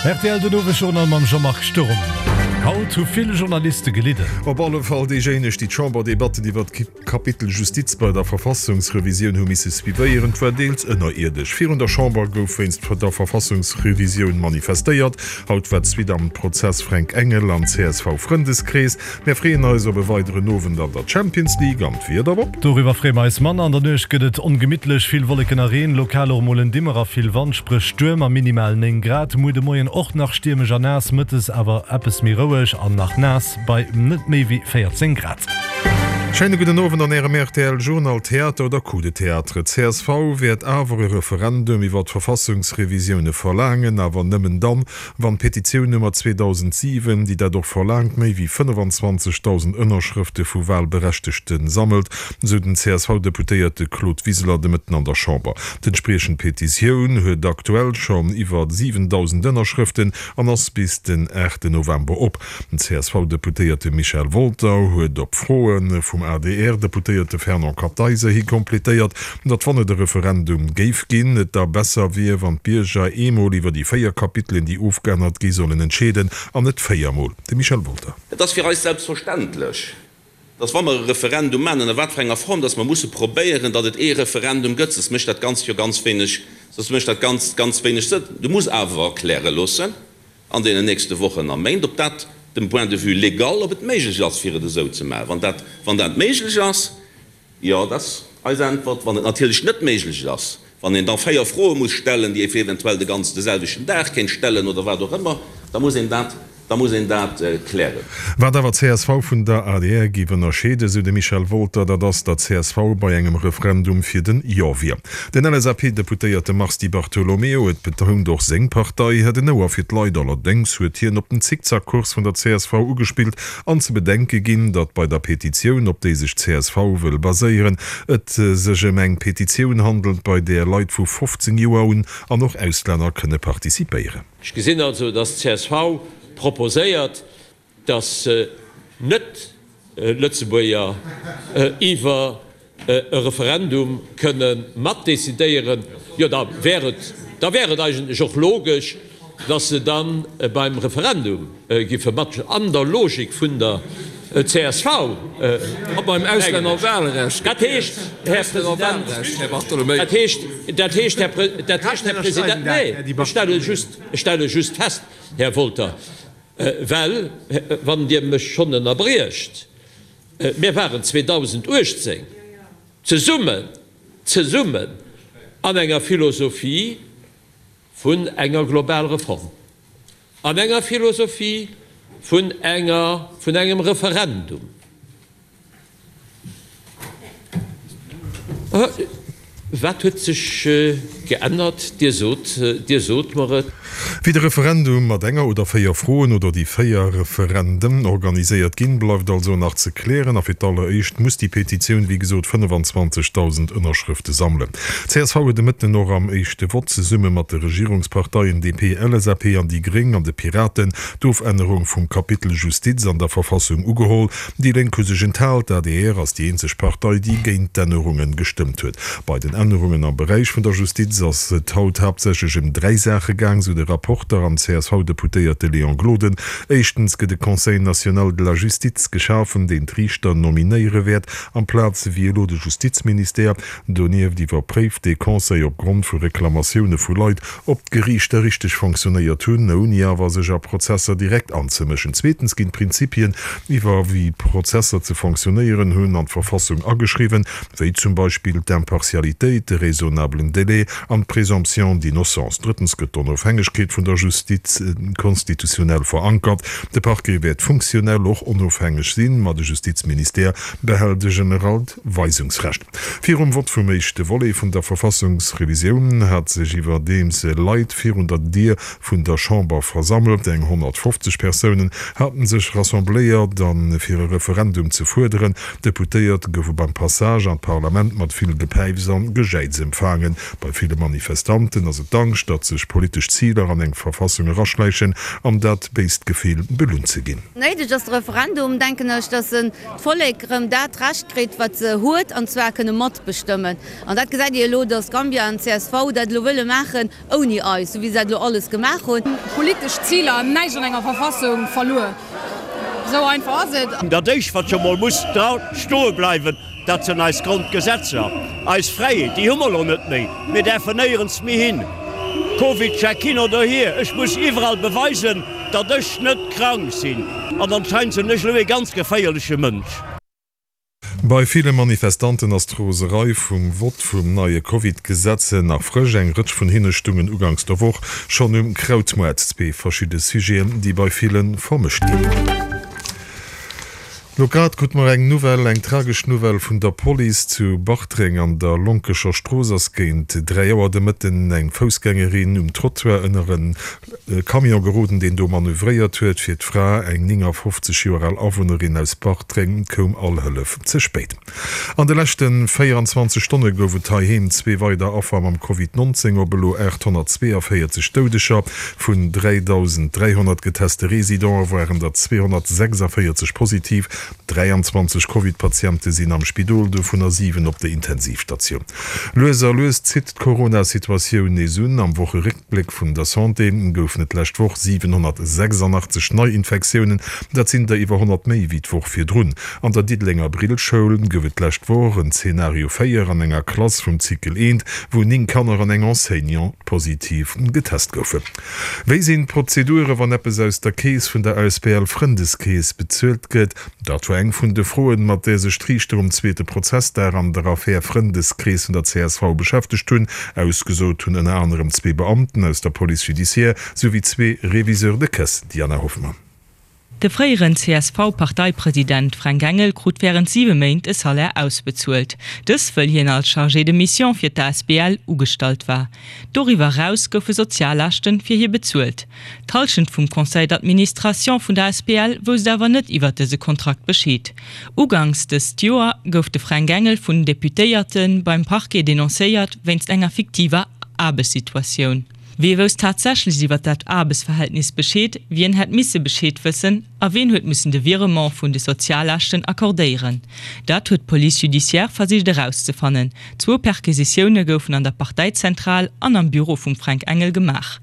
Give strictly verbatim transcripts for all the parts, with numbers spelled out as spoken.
Rtl den Owesjournal mam Jean-Marc Sturm. Haut hu vill Journaliste gelidden. Op alle Fall déijéineg, déi d'Chamberdebatten iwwer d'Kapitel Justiz bei der Verfassungsrevisioun hu misse suivéieren. Et war deels ënnerierdesch. Virun der Chamber gouf wéinst der Verfassungsrevisioun manifestéiert. Haut war d'Suite am Prozess Fränk Engel am C S V-Frëndeskrees. Mär freeën eis op e weideren Owend an der Champions League. An d'Wieder, Bob? Doriwwer freeë mer eis manner. An der Nuecht gëtt et ongemittlech, vill Wolleken a Reen, lokal och mol en Dimmer a vill Wand, spréch Stuerm a minimal néng Grad. Muer de Moien och nach stiermesch a naass, mëttes awer eppes méi roueg an nach naass bei net méi wéi véierzéng Grad. Schéine gudden Owend an Ärem R T L Journal. Theater oder Coup de théâtre? C S V wäert awer e Referendum iwwer d'Verfassungsrevisioune verlaangen, awer nëmmen dann, wann d'Petitioun Nummer zweedausendsiwen, déi dat och verlaangt, méi wéi fënnefenzwanzegdausend Ënnerschrëfte vu Walberechtegte sammelt, sou den C S V-Deputéierte Claude Wiseler de Mëtten an der Chamber. D'entspriechend Petitioun huet aktuell schonn iwwer siwendausend Ënnerschrëften an ass bis den aachten November op. Den C S V-Deputéierte Michel Wolter huet op Froe vum A D R-Deputéierte Fernand Kartheiser hi completéiert, datt wann et e Referendum géif ginn, et da besser wier, wann d'Bierger eemol iwwer déi véier Kapitelen, déi ofgeännert gi sollen, entscheeden, an net véiermol. De Michel Wolter. Et ass fir eis selbstverständlech, datt wa mer e Referendum maachen, ënner wat fir enger Form, datt mer musse probéieren, datt et ee Referendum gëtt, soss mécht dat Ganzt jo ganz wéineg, soss mécht dat Ganzt ganz wéineg Sënn. Du muss awer erkläre loossen an deenen nächste Wochen a Méint, ob dat dem Point de vue légal, ob et méiglech ass, fir et esou ze maachen. Wann dat, wann dat méiglech ass, jo, dat ass eis Äntwert. Wann et natierlech net méiglech ass, wann een da véier Froe muss stellen, déi ee eventuell de ganzen de selwechten Dag kéint stellen oder wat och ëmmer, da muss een dat, da muss een dat klären. Wat awer C S V vun der A D R géif ënnerscheeden, esou de Michel Wolter, dat ass, datt C S V bei engem Referendum fir den Jo wier. Den L S A P-Deputéierte Mars Di Bartolomeo huet betount, och seng Partei hätt en Ouer fir d'Leit. Allerdéngs huet hien op den Zickzackkurs vun der C S V ugespillt an ze bedenke ginn, datt bei der Petitioun, op déi sech d'C S V wëll baséieren, et sech ëm eng Petitioun handelt, bei där Leit vu fofzéng Joer un an och Auslänner kënne participéieren. Ech gesinn also, datt d'C S V proposéiert, datt Net-Lëtzebuerger iwwer e Referendum kënne matdecidéieren. Jo, da wär et, da wär et eigentlech och logesch, datt se da beim Referendum giffe mat, an der Logik vun der C S V. A beim Auslännerwahlrecht. Dat heescht, Här President, dat heescht, dat heescht, Här, dat heescht, Här President, nee, ech stelle just, ech stelle just fest, Här Wolter, well, wann Dir mech schonn ënnerbriecht, mir waren zweedausenduechtzéng zesummen, zesummen an enger Philosophie vun enger Globalreform, an enger Philosophie vun enger, vun engem Referendum. Wat huet sech geännert? Dir sot, Dir sot mer et. Wéi de Referendum mat enger oder véier Froen oder déi véier Referenden organiséiert ginn, bleift also nach ze klären. A fir d'alleréischt muss déi Petitioun, wéi gesot, fënnefenzwanzegdausend Ënnerschrëfte sammelen. C S V huet de Mëtten och am éischte Vott zesumme mat de Regierungsparteien D P, L S A P an déi Gréng an de Piraten d'Ofännerung vum Kapitel Justiz an der Verfassung ugeholl. Déi Lénk hu sech enthal. D'A D R ass déi eenzeg Partei, déi géint d'Ännerunge gestëmmt huet. Bei den Ännerungen am Beräich vun der Justiz ass et haut haaptsächlech ëm dräi Saache gaang, sou de Rapporter an C S V-Deputéierte Léon Gloden. Éischtens gëtt e Conseil national de la justice geschafen, deen d'Riichter nominéiere wäert, amplaz wéi elo de Justizministère. Donieft iwwerpréift dee Conseil op Grond vu Reklamatioune vu Leit, ob d'Geriichter richteg fonctionnéiert hunn, ouni awer sech a Prozesser direkt anzemëschen. Zweetens ginn d'Prinzipien iwwer wéi Prozesser ze fonctionnéieren hunn an d'Verfassung ageschriwwen, wéi zum Beispill d'Impartialitéit, de raisonnablen Délai an d'Présomption d'innocence. Drëttens gëtt d'Onofhängegkeet vun der Justiz konstitutionell verankert. De Parquet wäert funktionell och onofhängeg sinn, ma de Justizministère behält e generellt Weisungsrecht. Virum Vott vum éischte Volet vun der Verfassungsrevisioun hat sech iwwerdeems Leit virun der Dier vun der Chamber versammelt. Eng honnertfofzeg Persounen haten sech rassembléiert a fir e Referendum ze fuerderen. D'Deputéiert goufe beim Passage an d'Parlament mat vill Gepäifs an Gejäiz empfaangen. Bei ville Manifestanten ass et d'Angscht, datt sech politesch Ziler an eng Verfassung eraschläichen an dat béist Gefill belount ze ginn. Néideg ass de Referendum, denken ech, datt d'Vollek erëm dat Recht kritt, wat se huet, an zwar kënne matbestëmmen. An dat gesäit Dir elo, datt Gambia an csv dat elo wëlle maachen ouni eis, esou wéi se dat elo alles gemaach hunn. Politesch Ziler hunn näischt an enger Verfassung verluer. Esou einfach ass et. Dat éischt, wat jo mol muss dra stoe bleiwen, dat sinn eis Grondgesetzer, eis Fräiheet. Déi hu mer elo net méi. Mir däerfen néierens méi hin. Covidcheck hin oder hier, ech muss iwwerall beweisen, datt ech net krank sinn. An anscheinend sinn ech elo ee ganz geféierleche Mënsch. Bei ville Manifestanten ass d'Roserei vum Vott vum neie Covid-Gesetz nach frësch. Eng Rëtsch vun hinne stungen uganks der Woch schonn um Krautmoart. Zwee verschidde Sujeten, déi bei ville vermëscht ginn. Lo grad krute mer eng Nouvelle, eng tragesch Nouvelle vun der Police. Zu Bartreng an der Lonkecher Strooss ass géint dräi Auer de Mëtten eng Foussgängerin um Trottoir ënner e Camion geroden, deen do manövréiert huet. Fir d'Fra, eng néngafofzeg Joer al Awunnerin aus Bartreng, koum all Hëllef ze spéit. An de leschte véieranzwanzeg Stonne gouf et heiheem zwee weider Affer mam Covid nonzéng, op elo aathonnertzweeënvéierzeg Doudeger. Vun dräidausend dräihonnert geteste Residente waren der zweehonnertsechsundvéierzeg positiv. Dräianzwanzeg Covid-Patiente sinn am Spidol, dovunner siwen op der Intensivstatioun. Lues a lues zitt d'Corona-Situatioun nees un. Am Wocheréckbléck vun der Santé goufen et d'lescht Woch siwenhonnertsechsundachtzeg Neiinfektiounen, dat sinn der iwwer honnert méi wéi d'Woch virdrun. An der Diddelenger Brillschoul gouf et d'lescht Woch en Zeenario véier an enger Klass vum Cycle eent, wou néng Kanner an eng Enseignante positiv getest goufen. Wéi sinn d'Prozedure wann eppes aus der Keess vun der asbl Frëndeskeess bezuelt gëtt? Dat war eng vun de Froen, mat där sech d'Riichter um zweete Prozessdag an der Affär Frëndeskrees vun der csv beschäftegt hunn. Ausgesot hunn ënner anerem zwee Beamten aus der Police judiciaire souwéi zwee Réviseurs de caisse. Diana Hoffmann. De fréieren C S V-Parteipresident Fränk Engel krut wärend siwe Méint e Salaire ausbezuelt. Dës wëll hien als Chargé de mission fir d'A S B L ugestallt war. Doriwwer eraus goufe Soziallaaschte fir hie bezuelt. D'Hallschent vum Conseil d'administration vun der A S B L wousst awer net iwwer dëse Kontrakt Bescheed. Uganks dëst Joer gouf de Fränk Engel vun Deputéierte beim Parquet denoncéiert wéinst enger fiktiver Aarbechtssituatioun. Wie wousst tatsächlech iwwer dat Aarbechtsverhältnis Bescheed, wien hätt misse Bescheed wëssen a wien huet mussen de Virement vun de Soziallaaschten accordéieren? Dat huet d'Police judiciaire versicht erauszefannen. Zwou Perquisitioune goufen an der Parteizentral an am Büro vum Fränk Engel gemaach.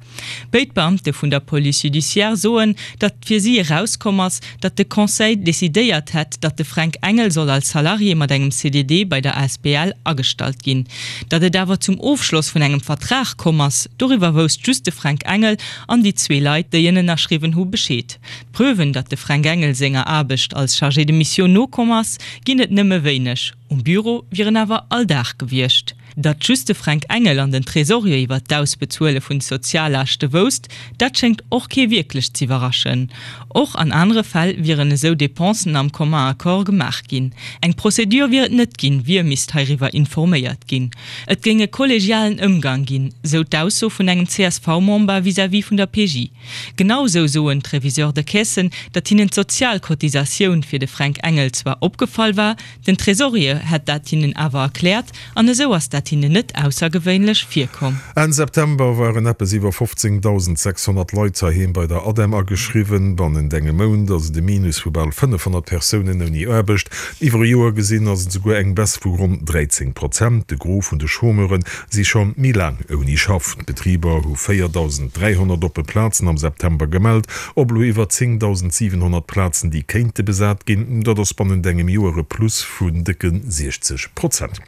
Béid Beamte vun der Police judiciaire soen, datt fir si erauskomm ass, datt de Conseil decidéiert hätt, datt de Fränk Engel soll als Salarié mat engem C D D bei der A S B L agestallt ginn. Datt et awer zum Ofschloss vun engem Vertrag komm ass, doriwwer wousst just de Fränk Engel an déi zwee Leit, déi en ënnerschriwwen hu Bescheed. Preuven, datt de Fränk Engel senger Aarbecht als Chargé de mission nokomm ass, ginn et nëmme wéineg. Um Büro wier en awer all Dag gewiescht. Datt just de Fränk Engel an den Tresorier iwwer d'Ausbezuele vun Soziallaaschte wousst, dat schéngt och kee wierklech z'iwwerraschen. Och an anere Fäll wieren esou Depensen am commun accord gemaach ginn. Eng Prozedur wier et net ginn, wie misst heiriwwer informéiert ginn. Et géing e kollegialen Ëmgang ginn, sou d'Ausso vun engem C S V-Member vis-à-vis vun der P J. Genau sou soen d'Réviseurs de caisse, datt hinnen d'Sozialcotisatioun fir de Fränk Engel zwar opgefall war, den Tresorier hätt dat hinnen awer erkläert an esou ass dat hinnen net aussergewéinlech virkomm. Enn September waren eppes iwwer fofzéngdausend sechshonnert Leit heiheem bei der ADEM ageschriwwen. Bannent engem Mount ass et e Minus vu bal fënnefhonnert Persounen ouni Aarbecht. Iwwer e Joer gesinn ass et esouguer eng Baisse vu ronn dräizéng Prozent. De Gros vun de Chômeure si scho méi laang ouni Schaff. D'Betriber hu véierdausend dräihonnert oppe Plazen am September gemellt, op elo iwwer zéngdausend siwenhonnert Plazen, déi kéinte besat ginn. Dat ass bannent engem Joer e Plus vun décke siechzeg Prozent.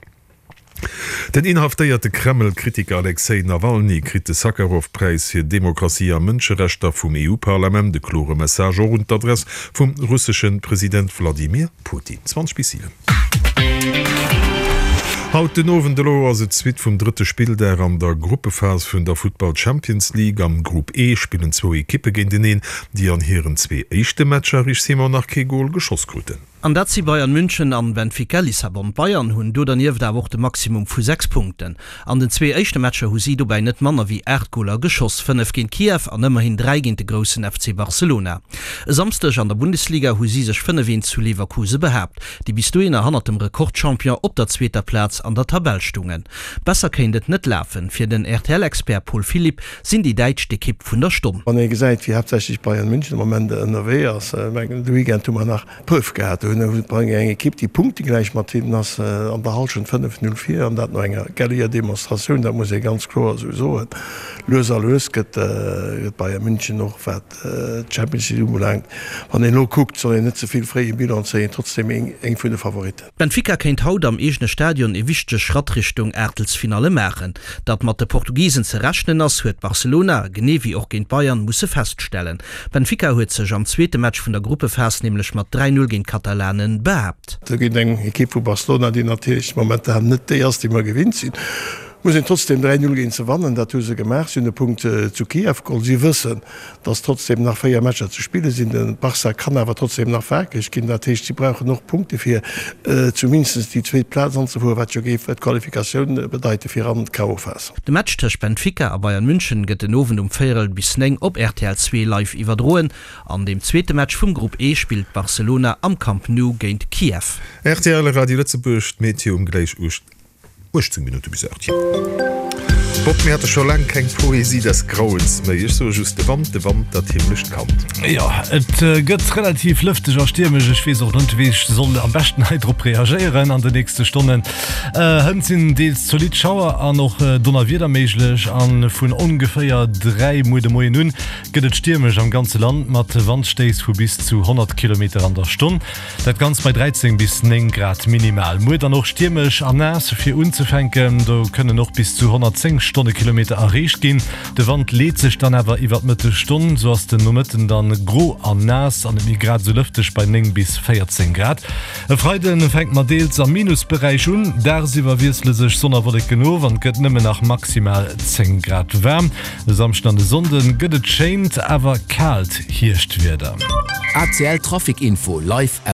Den inhaftéierte Kreml-Kritiker Alexej Nawalny kritt de Sakharov-Präis fir Demokratie a Mënscherechter vum E U-Parlament. E klore Message och un d'Adress vum russesche President Wladimir Putin. zwanzeg bis siwen. Haut den Owend elo ass et d'Suite vum drëtte Spilldag an der Gruppephas vun der Futtball Champions League. Am Grupp E spillen zwou Ekippe géinteneen, déi an hiren zwee éischte Matcher, Rich Simon, nach kee Gol geschoss kruten. An dat si Bayern München an Benfica Lissabon. D'Bayern hunn do dernieft awer och de Maximum vu sechs Punkten. An den zwee éischte Matcher hu si dobäi net manner wéi aacht Goler geschoss, fënnef géint Kiew an ëmmerhin dräi géint de groussen F C Barcelona. E Samsdeg an der Bundesliga hu si sech fënnef eent zu Leverkuse behaapt, déi bis dohinner hannert dem Rekordchampion op der zweeter Plaz an der Tabell stungen. Besser kéint et net lafen. Fir den R T L-Expert Paul Philipp sinn déi Däitsch d'Ekipp vun der Stonn. Wann ee gesäit, wéi haaptsächlech Bayern München am Moment ënnerwee ass, mengen de Weekend hu mer nach Preuve gehat, do hunn eng Ekipp, déi punktegläich mat hinnen ass, an der Hallschent fënnef Null vir, an dat no enger gelliger Demonstratioun, dat muss ee ganz kloer esou soen. Lues a lues gëtt Bayern München och, wat d'Champions League ubelaangt, wann een elo kuckt, soll een net ze vill fréi e Bilan zéien, trotzdeem eng vun de Favoritten. Benfica kéint haut am eegene Stadion e wichtege Schratt Richtung Aachtelsfinalle maachen. Datt mat de Portugisen ze rechnen ass, huet Barcelona, genee wéi och géint Bayern, musse feststellen. Benfica huet sech am zweete Match vun der Gruppephas nämlech mat dräi Null géint d'Katalane behaapt. Géint eng Ekipp vu Barcelona, déi natierlech momentan net déi ass, déi mer gewinnt sinn, muss een trotzdeem dräi Null géint se wannen. Dat hu se gemaach. Si hunn e Punkt zu Kiew geholl. Si wëssen, datt trotzdeem nach véier Matcher ze spille sinn. De Barça kann awer trotzdeem nach wakereg ginn. Dat heescht, si brauchen och Punkte fir zumindest déi zweet Plaz anzefueren, wat jo géif d'Qualifikatioun bedeite fir an d'K O-Phas. De Match tëscht Benfica a Bayern München gëtt den Owend um véierel bis néng op R T L zwee live iwwerdroen. An dem zweete Match vum Grupp E spillt Barcelona am Camp Nou géint Kiew. R T L Radio Lëtzebuerg, d'Meteo um gläich uechtzéng Minutte bis aacht. Bob, mir hate scho laang keng Poésie des Grauens méi. Ech soe just, de Wand, de Wand, dat himmlescht Kand. Jo, et gëtt relativ lëfteg a stiermesch. Ech weess och net, wéi ech soll am beschten hei drop reagéieren an den nächste Stonnen. Hënt sinn deels zolidd Schauer an och Donnerwieder méiglech a vun ongeféier dräi muer de Moien un gëtt et stiermesch am ganze Land mat Wandstéiss vu bis zu honnert Kilometer an der Stonn. Dat Ganzt bei dräizéng bis néng Grad minimal. Muer dann och stiermesch an naass fir unzefänken, do kënnen och bis zu honnertzéng Stonnekilometer erreecht ginn. De Wand leet sech dann awer iwwer d'Mëttesstonn, sou ass den Nomëtten dann gro an naass an net méi grad esou lëfteg bei néng bis véierzéng Grad. E Freide fänkt mat deels am Minusberäich un, dagsiwwer wiessele sech Sonn a Wolleken of an et gëtt nëmmen nach maximal zéng Grad waarm. E Samschden an e Sonnde gëtt et schéint, awer kaalt Hierschtwieder. A C L Trafic Info live.